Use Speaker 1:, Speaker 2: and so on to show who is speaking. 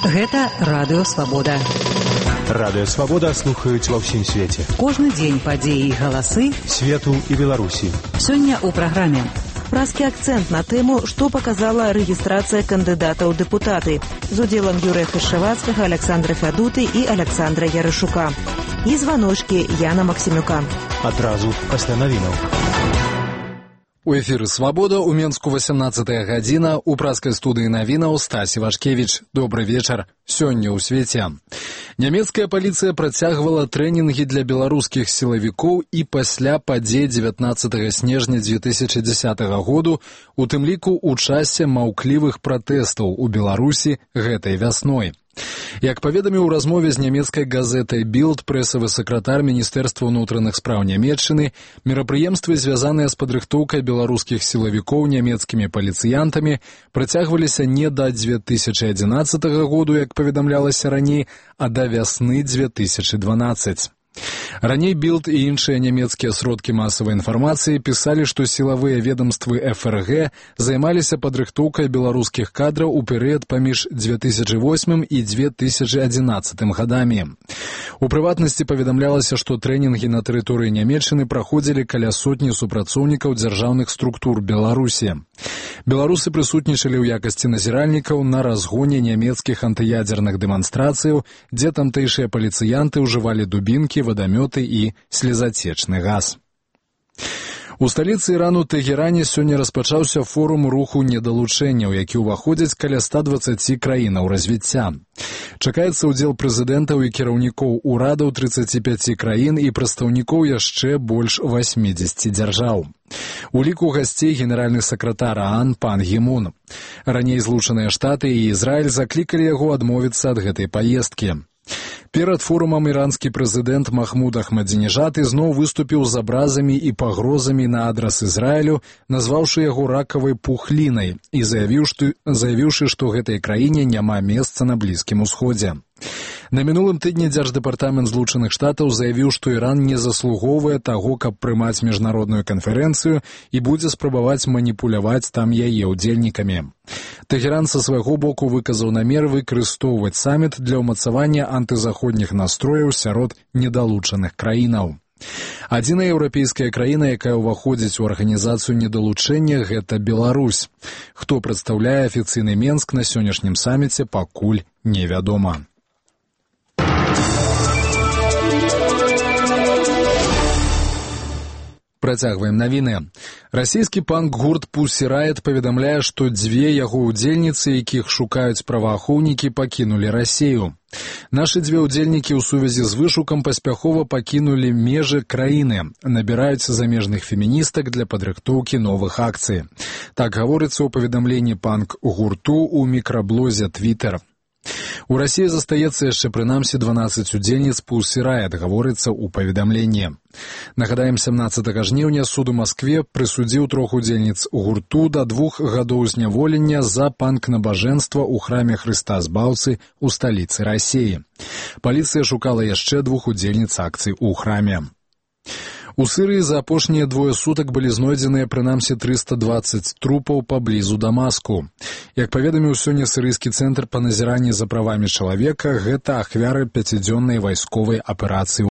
Speaker 1: Гэта Радыё Свабода.
Speaker 2: Радыё Свабода слухаюць ва ўсім свеце.
Speaker 1: Кожны дзень падзеі і галасы
Speaker 2: свету і Беларусі.
Speaker 1: Сёння ў праграме.
Speaker 3: Празкі акцэнт на тэму, што паказала рэгістрацыя кандыдатаў у дэпутаты з удзелам Юрыя Хашчавацкага, Александра Фядуты і Александра Ярышука. І званочкі Яна Максімюка.
Speaker 2: Адразу пасля навінаў.
Speaker 4: У эфіры «Свабода» у Менску 18-я гадзіна. У празкай студыі навінаў Стась Івашкевіч. Добры вечар. Сёння ў свеце. Нямецкая паліцыя працягвала трэнінгі для беларускіх сілавікоў і пасля падзей 19 снежня 2010 году, у тым ліку ў часе маўклівых пратэстаў у Беларусі гэтай вясной. Як паведаміў у размове з нямецкай газетай «Білд» прэсавы сакратар Міністэрства ўнутраных спраў Нямецчыны, мерапрыемствы, звязаныя з падрыхтоўкай беларускіх сілавікоў нямецкімі паліцыянтамі, працягваліся не да 2011 году, як паведамлялася раней, а да вясны 2012. Раней «Білд» і іншыя нямецкія сродкі масавай інфармацыі пісалі, што сілавыя ведомствы ФРГ займаліся падрыхтоўкай беларускіх кадраў у перыяд паміж 2008 і 2011 гадамі. У прыватнасці паведамлялася, што трэнінгі на тэрыторыі Нямецчыны праходзілі каля сотні супрацоўнікаў дзяржаўных структур Беларусі. Беларусы прысутнічалі ў якасці назіральнікаў на разгоне нямецкіх антыядзерных дэманстрацыяў, дзе тамтэйшыя паліцыянты ўжывалі дубінкі, вадамёты і слезацечны газ. У сталіцы Ірану Тэгеране сёння распачаўся форум руху недалучэнняў, які ўваходзіць каля 120 краінаў развіцця. Чакаецца ўдзел прэзідэнтаў і кіраўнікоў урадаў 35 краін і прадстаўнікоў яшчэ больш 80 дзяржаў. У ліку гасцей генеральны сакратар ААН пан Гі Мун. Раней Злучаныя Штаты і Ізраіль заклікалі яго адмовіцца ад гэтай паездкі. Перад форумам іранскі прэзідэнт Махмуд Ахмадзінежад ізноў выступіў з абразамі і пагрозамі на адрас Ізраілю, назваўшы яго ракавай пухлінай і заявіўшы, што гэтай краіне няма месца на Блізкім Усходзе. На мінулым тыдні Дзярждэпартамент Злучаных Штатаў заявіў, што Іран не заслугоўвае таго, каб прымаць міжнародную канферэнцыю і будзе спрабаваць маніпуляваць там яе ўдзельнікамі. Тэгеран са свайго боку выказаў намер выкарыстоўваць саміт для ўмацавання антызаходніх настрояў сярод недалучаных краінаў. Адзіная еўрапейская краіна, якая ўваходзіць у арганізацыю недалучэння, гэта Беларусь. Хто прадстаўляе афіцыйны Менск на сённяшнім саміце, пакуль невядома. Працягваем навіны. Расійскі панк-гурт Pussy Riot паведамляе, што дзве яго ўдзельніцы, якіх шукаюць праваахоўнікі, пакінулі Расію. Нашы дзве ўдзельнікі ў сувязі з вышукам паспяхова пакінулі межы краіны, набіраюць замежных феміністак для падрыхтоўкі новых акцый. Так гаворыцца ў паведамленні панк-гурту ў мікраблозе Twitter. У Расіі застаецца яшчэ прынамсі 12 удзельніц Pussy Riot, гаворыцца ў паведамленні. Нагадаем, 17 жніўня суд у Маскве прысудзіў 3 удзельніц гурту да 2 гадоў зняволення за панк-набажэнства ў храме Хрыста Збаўцы ў сталіцы Расіі. Паліцыя шукала яшчэ 2 удзельніц акцый у храме. У Сірыі за апошнія 2 сутак былі знойдзеныя прынамсі 320 трупаў паблізу Дамаску. Як паведаміў сёння сірыйскі цэнтр па назіранні за правамі чалавека, гэта ахвяры 5-дзённай вайсковай аперацыі